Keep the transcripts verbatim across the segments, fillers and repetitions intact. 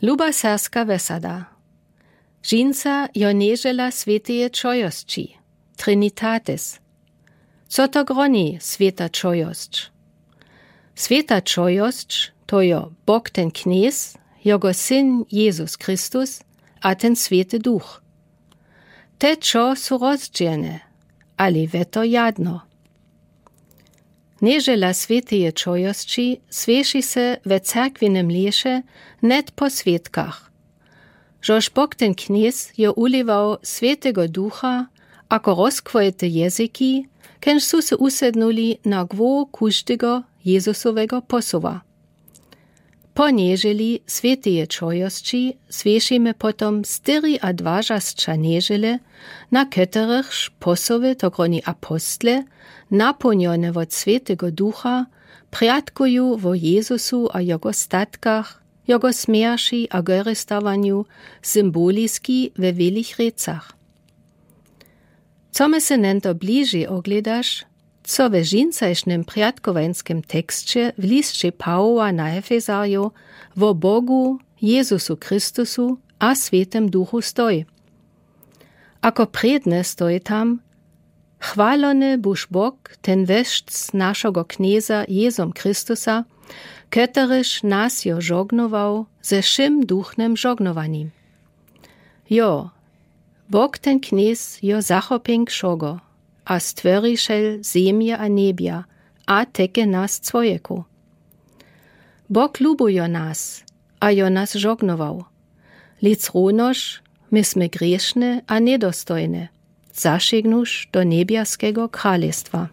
Luba serbska wesada. Dźinsa jo nježela swěteje čojosći, Trinitatis. Co to groni swěta čojosć? Swěta čojosć, to jo Bóg ten Knjez, jogo Syn Jezus Christus a ten Swěty Duch. Te čo su rozdźělne, ale we to jadno. Nježela swěteje čojosći słěši se we cerkwinem lěše hned po swětkach. Žož Bóg ten Knjez jo wulewał Swětego Ducha ako rozkwojete jezyki, kenž su se wusednuli na głow kóždego Jezusowego posoła. Po nježeli swěteje čojosći słěšimy potom štyriadwažasća nježele, na keterychž posoły, to groni apostle, napołnjone wot Swětego Ducha, prjatkuju wo Jezusu a jogo statkach, jogo smjerći a gorestawanju, symboliski we wielich rěcach. Co my se njeto bližej oglědaš, co we dźinsajšnem prjatkowańskem teksće w lisće Pawoła na Efezarjow wo Bogu, Jezusu Christusu a Swětym Duchu stoj. Ako prědne stoj tam: Chwalony buž Bóg, ten Wójc našogo Knjeza Jezum Christusa, keteryž nas jo žognował ze wšym duchnym žognowanim. Jo, Bóg ten Knjez jo zachopjenk wšogo a stworišel zemje a njebja a teke nas cwojeku. Bóg lubujo nas a jo nas žognował, leč równož my smy grěšne a njedostojne, zašignuć do njebjaskego kralestwa.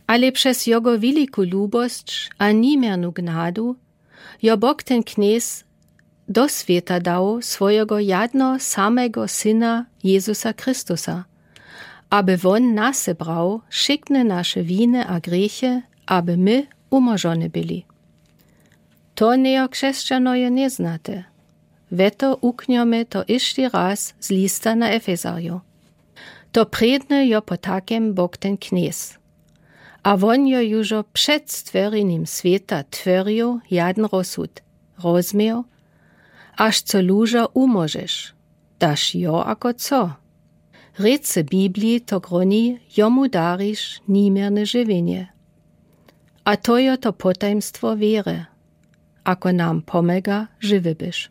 Ale přez jogo wiliku lubosć a niměrnu gnadu jo Bóg ten Knjez do swěta dał swojeho jadno samego Syna Jezusa Christusa, aby wón na se brał wšitke naše winy a grěche, aby my wumóžony byli. To njejo křesćanojo njeznate. We to wuknjome to ješći raz z lista na Efezarjow. To prědne jo potakem Bóg ten Knjez. A wón jo južo před stworjenim swěta tworił jadn rozsud, rozmił, až co lužo wumóžeš, daš jo ako co. Rěce Bibliji to groni: Jomu dariš niměrne žiwjenje. A to jo to potajmstwo wěry, ako nam pomóga, žiwy być.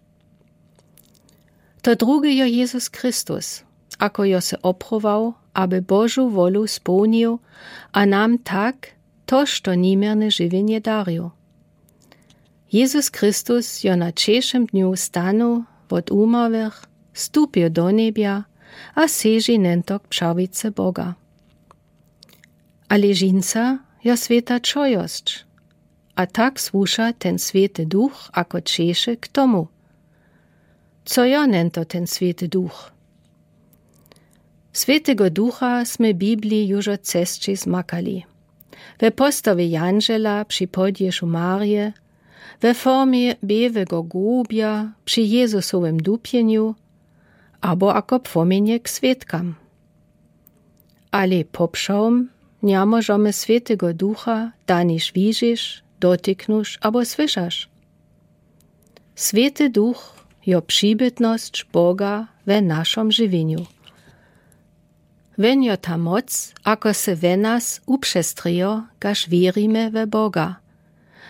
To druge jo Jezus Christus, ako jo se obchował, aby Božu wolu społnił a nam tak toż to niměrne žiwjenje darił. Jezus Christus jo na ćešim dnju stanył wot wumarłych, stupił do njebja a seži njeto k přawicy Boga. Ale dźinsa jo swěta čojosć, a tak słuša ten Swěty Duch ako ćeše k tomu. Co jo njeto ten Swěty Duch? Swětego Ducha smy w Bibliji južo cesći zmakali. We postawje jandźela při podješu Marije, we formje białego grobja při Jezusowem dupjenju, abo ako płomjenje k swětkam. Ale popřawom njemóžemy Swětego Ducha daniž widźiš, dotykneš abo słyšaš. Swěty Duch jo přibytnosć Boga we našom žiwjenju. Wón jo ta moc, ako se we nas wupřestrějo, kaž wěrimy we Boga,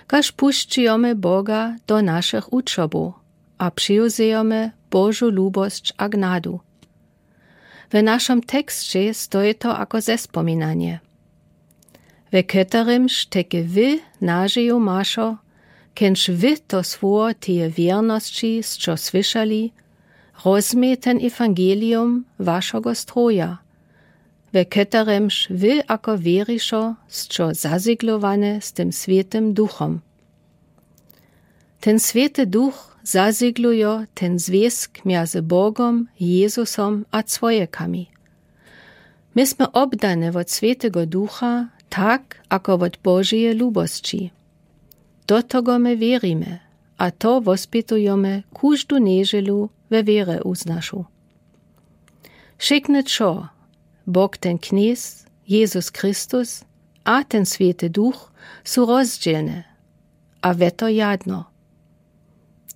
kaž pušćijemy Boga do našich wučobow a přiwzejemy Božu lubosć a gnadu. We našom teksće stoji to ako zespominanje, we keterymž teke wy nažiju mašo, kenž wy to słowo teje wěrnosći sćo słyšali, rozmij ten ewangelium wašego stroja, we keterymž wy ako wěrišo sćo zazyglowany z tym Swětym Duchom. Ten Swěty Duch zazygluje ten zwězk mjezy Bogom, Jezusom a cwojekami. My smy obdane wot Swětego Ducha tak ako wot Božeje lubosći. Do tego my wěrimy a to wospitujemy kóżdu nježelu we wěrze wuznašu. Wšitke třo, Bóg ten Knjez, Jezus Christus a ten Swěty Duch, su rozdźělne a we to jadno.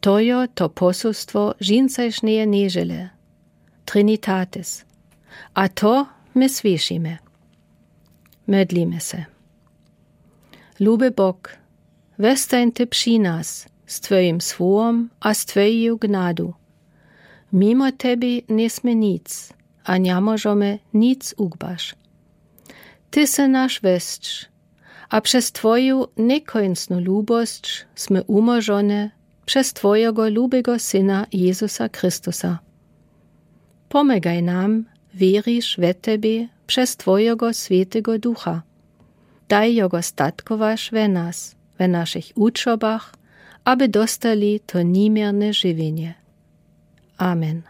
To jo to poselstwo žindzejszneje nedźele, Trinitatis. A to my słyszymy. Modlimy se. Lubi Bóg, westań Ty przy nas z Twojim słowom a z Twoją gnadą. Mimo Tebie nie smy nic, a nie możemy nic ugbasz. Ty sy nasz wescz, a przez Twoją niekońcną lubosc smy umożone przez Twojego lubiego Syna Jezusa Chrystusa. Pomagaj nam wierisz we Tebie przez Twojego Swietego Ducha. Daj Jego statkowasz we nas, we naszych uczobach, aby dostali to niemierne żywienie. Amen.